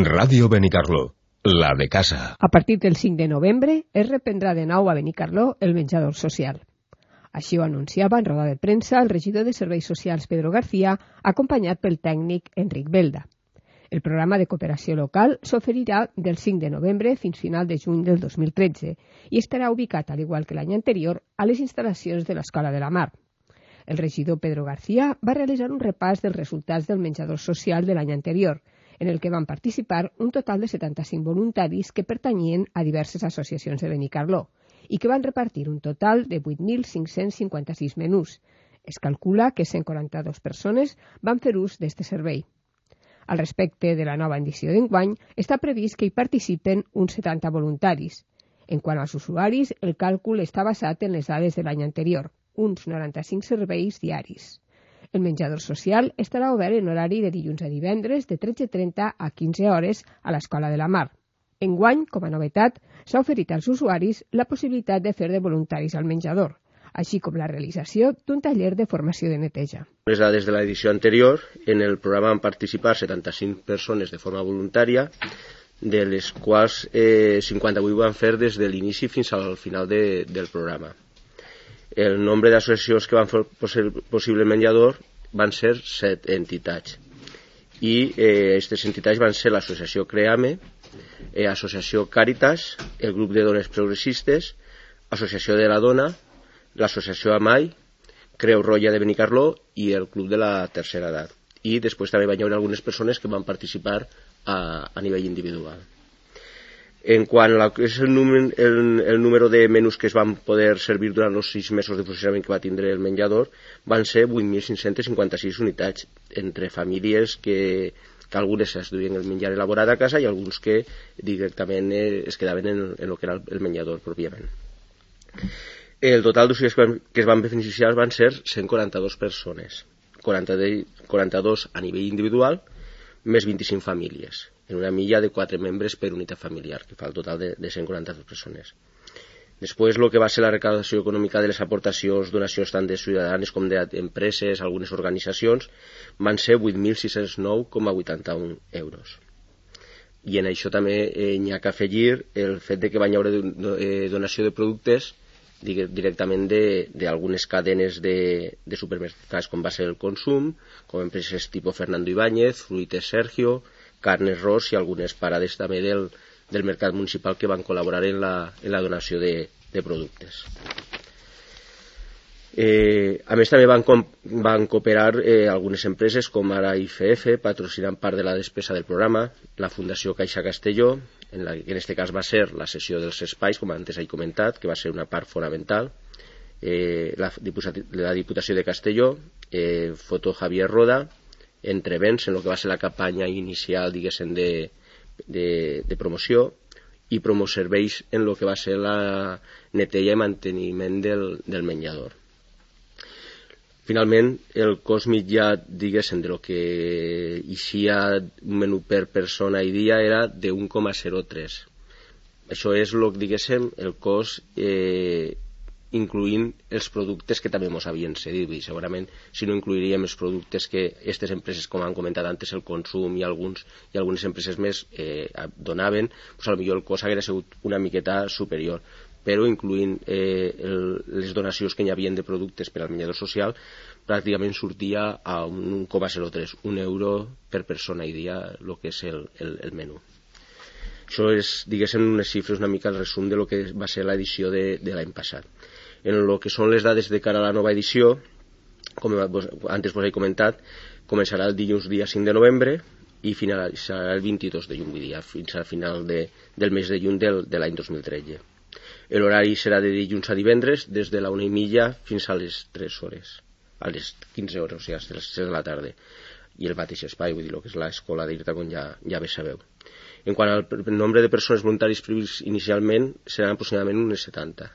Ràdio Benicarló, la de casa. A partir del 5 de novembre es reprendrà de nou a Benicarló el menjador social. Així ho anunciava en roda de premsa el regidor de Serveis Socials Pedro García, acompanyat pel tècnic Enric Belda. El programa de cooperació local s'oferirà del 5 de novembre fins final de juny del 2013 i estarà ubicat, al igual que l'any anterior, a les instal·lacions de l'Escola de la Mar. El regidor Pedro García va realitzar un repàs dels resultats del menjador social de l'any anterior, en el que van participar un total de 75 voluntaris que pertanyien a diverses associacions de Benicarló i que van repartir un total de 8.556 menús. Es calcula que 142 persones van fer ús d'aquest servei. Al respecte de la nova edició d'enguany, està previst que hi participen uns 70 voluntaris. En quant als usuaris, el càlcul està basat en les dades de l'any anterior, uns 95 serveis diaris. El menjador social estarà obert en horari de dilluns a divendres de 13:30 a 15 hores a l'Escola de la Mar. Enguany, com a novetat, s'ha oferit als usuaris la possibilitat de fer de voluntaris al menjador, així com la realització d'un taller de formació de neteja. Les dades de l'edició anterior, en el programa van participar 75 persones de forma voluntària, de les quals 58 van fer des de l'inici fins al final del programa. El nombre d'associacions que van fer possible el menjador van ser 7 entitats. I aquestes entitats van ser l'associació CREAME, Associació Càritas, el grup de dones progressistes, Associació de la Dona, l'associació AMAI, Creu Roja de Benicarló i el Club de la Tercera Edat. I després també van haver algunes persones que van participar a nivell individual. En quant a el número de menús que es van poder servir durant els 6 mesos de funcionament que va tindre el menjador, van ser 8.556 unitats, entre famílies que algunes es duien el menjar elaborat a casa i alguns que directament es quedaven en el que era el menjador pròpiament. El total d'usuaris que es van beneficiar van ser 142 persones, 42 a nivell individual, més 25 famílies, en una milla de 4 membres per unitat familiar, que fa el total de 142 persones. Després, el que va ser la recaudació econòmica de les aportacions, donacions tant de ciutadans com d'empreses, algunes organitzacions, van ser 8.609,81 euros. I en això també n'hi ha que afegir el fet de que van haver donació de productes directament d'algunes cadenes de supermercats com va ser el Consum, com empreses tipus Fernando Ibáñez, Fruites Sergio, Carnes Ros i algunes parades també del mercat municipal que van col·laborar en la donació de productes. A més també van cooperar algunes empreses com ara IFF, patrocinant part de la despesa del programa, la Fundació Caixa Castelló, que en aquest cas va ser la cessió dels espais, com antes he comentat, que va ser una part fonamental, la Diputació de Castelló, Foto Javier Roda, Entrevents, en el que va ser la campanya inicial, diguéssim, de promoció, i Promoserveis en el que va ser la neteja i manteniment del menjador. Finalment, el cost mitjà, diguéssim, de lo que eixia un menú per persona i dia era de 1,03. Això és, diguéssim, el cost incloent els productes que també ens havien cedit. I segurament, si no incluiríem els productes que aquestes empreses, com han comentat antes, el Consum i algunes empreses més donaven, potser el cost hauria sigut una miqueta superior. Però incloent les donacions que hi havia de productes per al menjador social, pràcticament sortia a 1,03, 1 euro per persona i dia, el que és el menú. Això és, diguéssim, unes xifres, una mica el resum de lo que va ser l'edició de l'any passat. En el que són les dades de cara a la nova edició, com antes vos he comentat, començarà el dilluns dia 5 de novembre i finalitzarà el 22 de juny, fins al final del mes de juny de l'any 2013. L'horari serà de dilluns a divendres, des de la 1:30 fins a les 3 hores, a les 15 hores, o sigui, a les 6 de la tarda. I el mateix espai, vull dir, el que és l'escola d'Irta, com ja bé sabeu. En quant al nombre de persones voluntàries previst inicialment, seran aproximadament unes 70.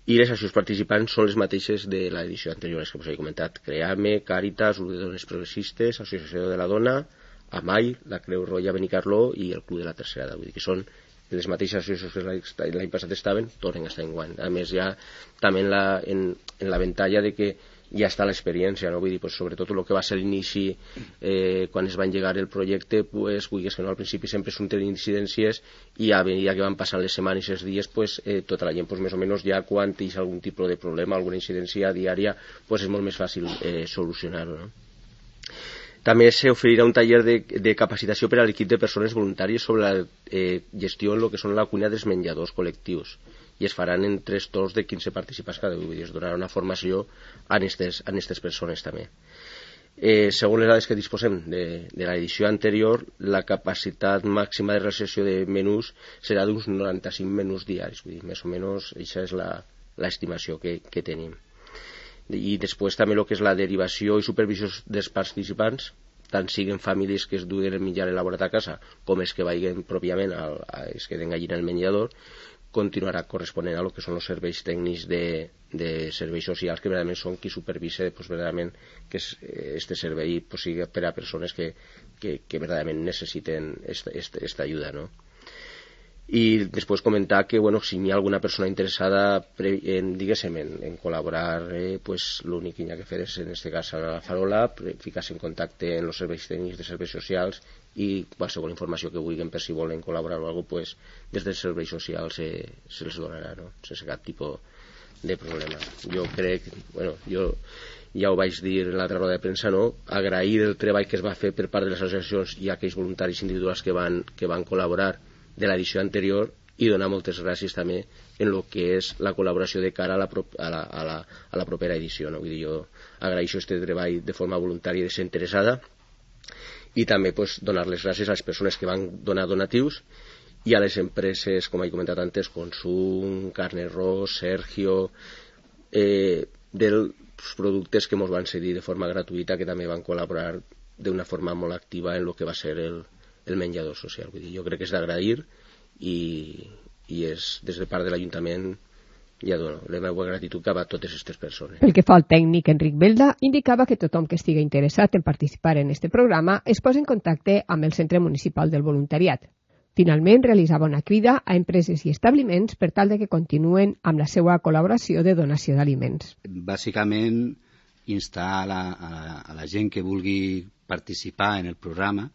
I les associacions participants són les mateixes de l'edició anterior, que us he comentat: CREAME, Càritas, Grup de Dones Progressistes, Associació de la Dona, AMAI, la Creu Roja Benicarló i el Club de la Tercera Edat. Vull dir que són les mateixes associacions que l'any passat estaven, tornen a estar enguany. A més, ja també en la ventalla de que ja està l'experiència, no? Vull dir, pues, sobretot el que va ser l'inici quan es va engegar el projecte, pues, vulguis que no, al principi sempre surten incidències i a medida que van passant les setmanes i els dies, pues, tota la gent pues, més o menys ja quan tens algun tipus de problema, alguna incidència diària, pues, és molt més fàcil solucionar-ho, no? També s'oferirà un taller de capacitació per a l'equip de persones voluntàries sobre la gestió en el que són la cuina dels menjadors col·lectius i es faran en 3 torns de 15 participants cada dia. Es donarà una formació a aquestes persones també. Segons les dades que disposem de l'edició anterior, la capacitat màxima de realització de menús serà d'uns 95 menús diaris, vull dir, més o menys aquesta és l'estimació que tenim. I després també el que és la derivació i supervisió dels participants, tant siguin famílies que es duguen el menjar elaborat a casa com els que vagin pròpiament els que den allí en el menjador, continuarà corresponent a lo que són els serveis tècnics de serveis socials, que verdaderament són qui supervisa pues, verdaderament que este servei pues, sigui per a persones que verdaderament necessiten esta ajuda, no? I després comentar que bueno, si hi ha alguna persona interessada en col·laborar, pues, l'únic que hi ha que fer és en aquest cas a la Farola, ficar-se en contacte en els serveis tècnics de serveis socials i qualsevol informació que vulguin per si volen col·laborar o alguna cosa, pues, des dels serveis socials se'ls donarà, no? Sense cap tipus de problema. Jo crec, bueno, jo ja ho vaig dir en l'altra roda de premsa, no? Agrair el treball que es va fer per part de les associacions i aquells voluntaris individuals que van col·laborar de l'edició anterior i donar moltes gràcies també en el que és la col·laboració de cara a la propera edició, no? Vull dir, jo agraeixo este treball de forma voluntària i desinteressada i també pues, donar les gràcies a les persones que van donar donatius i a les empreses, com he comentat antes, Consum, Carne Ros, Sergio, dels productes que ens van cedir de forma gratuïta, que també van col·laborar d'una forma molt activa en el que va ser el menjador social. Vull dir, jo crec que és d'agrair i és des de part de l'Ajuntament ja dono la meva gratitud cap a totes aquestes persones. Pel que fa al tècnic Enric Belda, indicava que tothom que estigui interessat en participar en este programa es posa en contacte amb el Centre Municipal del Voluntariat. Finalment, realitzava una crida a empreses i establiments per tal de que continuen amb la seva col·laboració de donació d'aliments. Bàsicament, instar a la gent que vulgui participar en el programa,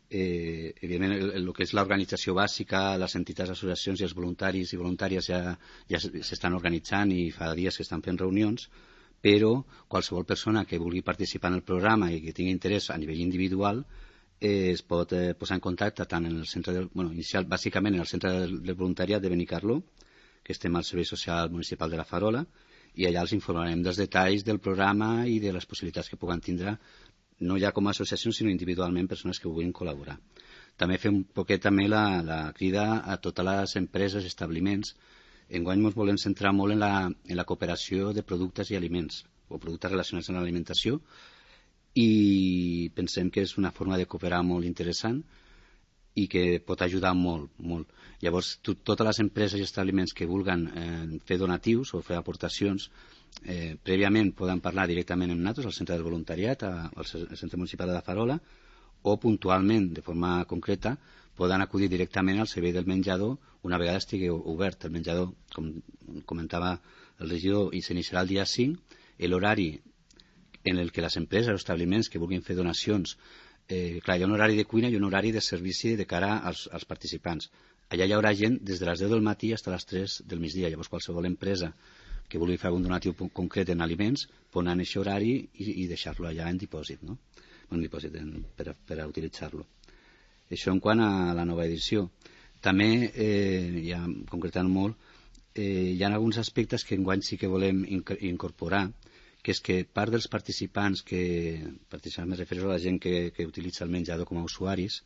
evidentment el que és l'organització bàsica, les entitats, associacions i els voluntaris i voluntàries ja s'estan organitzant i fa dies que estan fent reunions, però qualsevol persona que vulgui participar en el programa i que tingui interès a nivell individual es pot posar en contacte tant en el centre inicial, bàsicament en el centre del voluntariat de Benicarló, que estem al Servei Social Municipal de la Farola, i allà els informarem dels detalls del programa i de les possibilitats que puguen tindre no ja com a associació, sinó individualment persones que vulguin col·laborar. També fem un poquet també la crida a totes les empreses i establiments. Enguany ens volem centrar molt en la cooperació de productes i aliments, o productes relacionats amb l'alimentació, i pensem que és una forma de cooperar molt interessant i que pot ajudar molt, molt. Llavors, totes les empreses i establiments que vulguen fer donatius o fer aportacions, prèviament poden parlar directament amb nosaltres al centre del voluntariat, al centre municipal de la Farola, o puntualment, de forma concreta, poden acudir directament al servei del menjador una vegada estigui obert el menjador, com comentava el regidor, i s'iniciarà el dia 5, l'horari en el que les empreses o establiments que vulguin fer donacions, clar, hi ha un horari de cuina i un horari de servici de cara als participants. Allà hi haurà gent des de les 10 del matí fins a les 3 del migdia, llavors qualsevol empresa que vulgui fer algun donatiu concret en aliments pot anar en aquest horari i deixar-lo allà en dipòsit, no? En dipòsit per a utilitzar-lo. Això en quant a la nova edició. També, ja concretant molt, hi ha alguns aspectes que enguany sí que volem incorporar, que és que part dels participants me refereixo a la gent que utilitza el menjador com a usuaris,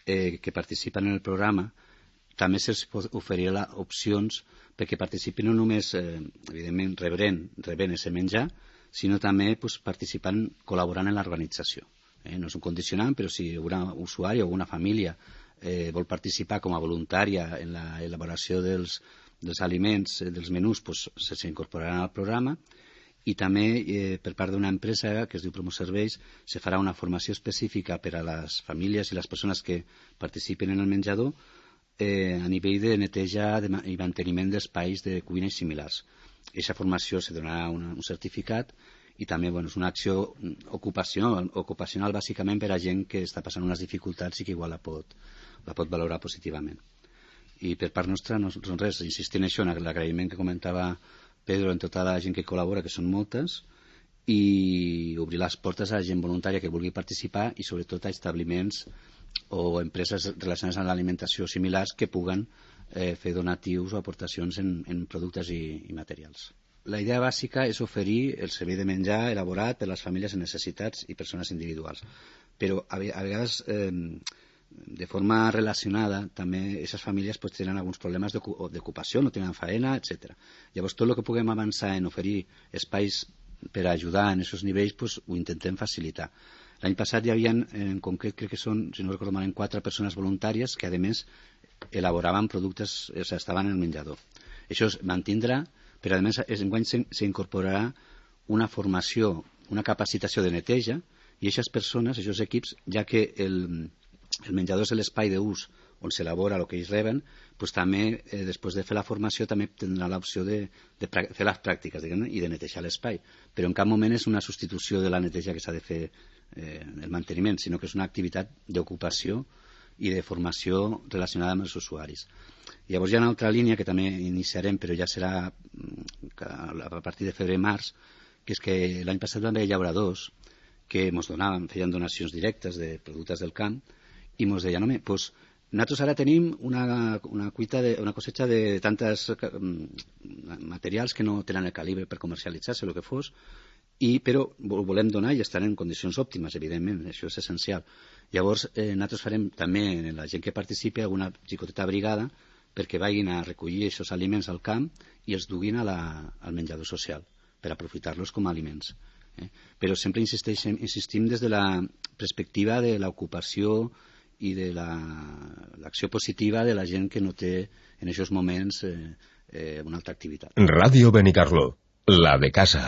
que participen en el programa, també se'ls oferirà opcions perquè participin no només, evidentment, rebent aquest menjar, sinó també participant, col·laborant en l'organització. No és un condicionant, però si un usuari o una família vol participar com a voluntària en l'elaboració dels aliments, dels menús, s'incorporaran al programa. I també per part d'una empresa que es diu Promoserveis se farà una formació específica per a les famílies i les persones que participen en el menjador a nivell de neteja i manteniment d'espais de cuina i similars. Aquesta formació se donarà un certificat i també és una acció ocupacional bàsicament per a gent que està passant unes dificultats i que igual la pot valorar positivament. I per part nostra no res, insistir en això, en l'agraïment que comentava Pedro en tota la gent que col·labora, que són moltes, i obrir les portes a la gent voluntària que vulgui participar i sobretot a establiments o empreses relacionades amb l'alimentació similars que puguen fer donatius o aportacions en productes i materials. La idea bàsica és oferir el servei de menjar elaborat per a les famílies en necessitats i persones individuals, però a vegades de forma relacionada també aquestes famílies tenen alguns problemes d'ocupació, no tenen feina, etc. Llavors tot el que puguem avançar en oferir espais per ajudar en aquests nivells ho intentem facilitar. L'any passat hi havia, en concret, crec que són, si no recordo malament, 4 persones voluntàries que, a més, elaboraven productes, o sigui, estaven en el menjador. Això es mantindrà, però, a més, enguany s'incorporarà una formació, una capacitació de neteja, i aquestes persones, aquests equips, ja que el menjador és l'espai d'ús on s'elabora el que ells reben, també, després de fer la formació, també tindrà l'opció de fer les pràctiques i de netejar l'espai. Però en cap moment és una substitució de la neteja que s'ha de fer el manteniment, sinó que és una activitat d'ocupació i de formació relacionada amb els usuaris. Llavors hi ha una altra línia que també iniciarem, però ja serà a partir de febrer-març, que és que l'any passat van haver llauradors que ens donaven, feien donacions directes de productes del camp i ens deien, home, doncs nosaltres ara tenim una cosecha de tantes materials que no tenen el calibre per comercialitzar-se, el que fos, però ho volem donar i estan en condicions òptimes, evidentment, això és essencial. Llavors, nosaltres farem també, en la gent que participi, alguna xicoteta brigada perquè vagin a recollir aquests aliments al camp i els duguin al menjador social per aprofitar-los com a aliments. Però sempre insistim des de la perspectiva de l'ocupació i de l'acció positiva de la gent que no té en aquests moments una altra activitat. Ràdio Benicarló, la de casa.